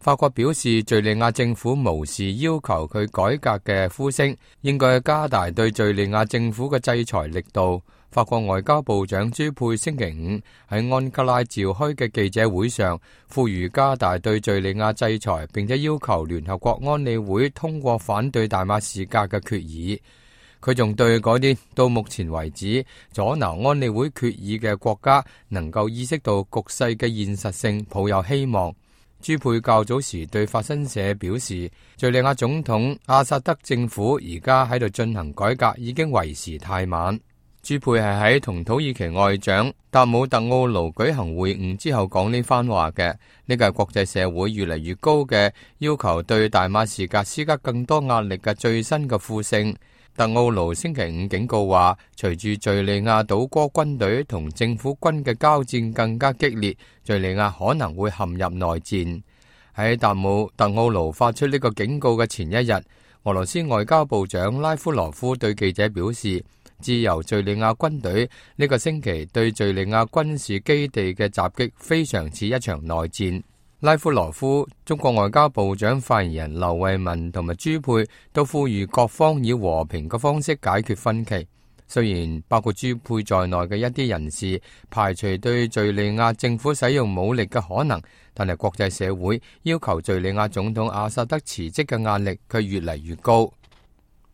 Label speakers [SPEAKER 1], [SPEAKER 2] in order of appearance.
[SPEAKER 1] 法國表示，敘利亞政府無視要求佢改革嘅呼聲，應該加大對敘利亞政府嘅制裁力度。法國外交部長朱佩星期五喺安卡拉召開嘅記者會上，呼籲加大對敘利亞制裁，並且要求聯合國安理會通過反對大馬士革嘅決議。佢仲對嗰啲到目前為止阻撓安理會決議嘅國家能夠意識到局勢嘅現實性抱有希望。朱佩較早時對法新社表示，敘利亞總統阿薩德政府而家喺度進行改革已經為時太晚。朱佩係喺同土耳其外長達姆特奧盧舉行會晤之後講呢番話嘅。呢個係國際社會越嚟越高嘅要求對大馬士革施加更多壓力嘅最新嘅呼聲。特奧盧星期五警告話，隨住敘利亞倒戈軍隊同政府軍嘅交戰更加激烈，敘利亞可能會陷入內戰。喺達姆特奧盧發出呢個警告嘅前一日，俄羅斯外交部長拉夫羅夫對記者表示，自由敘利亞軍隊呢個星期對敘利亞軍事基地嘅襲擊非常似一場內戰。拉夫羅夫、中國外交部長發言人劉慧文同埋朱佩都呼籲各方以和平嘅方式解決分歧。雖然包括朱佩在內嘅一啲人士排除對敘利亞政府使用武力嘅可能，但係國際社會要求敘利亞總統阿薩德辭職嘅壓力卻越嚟越高。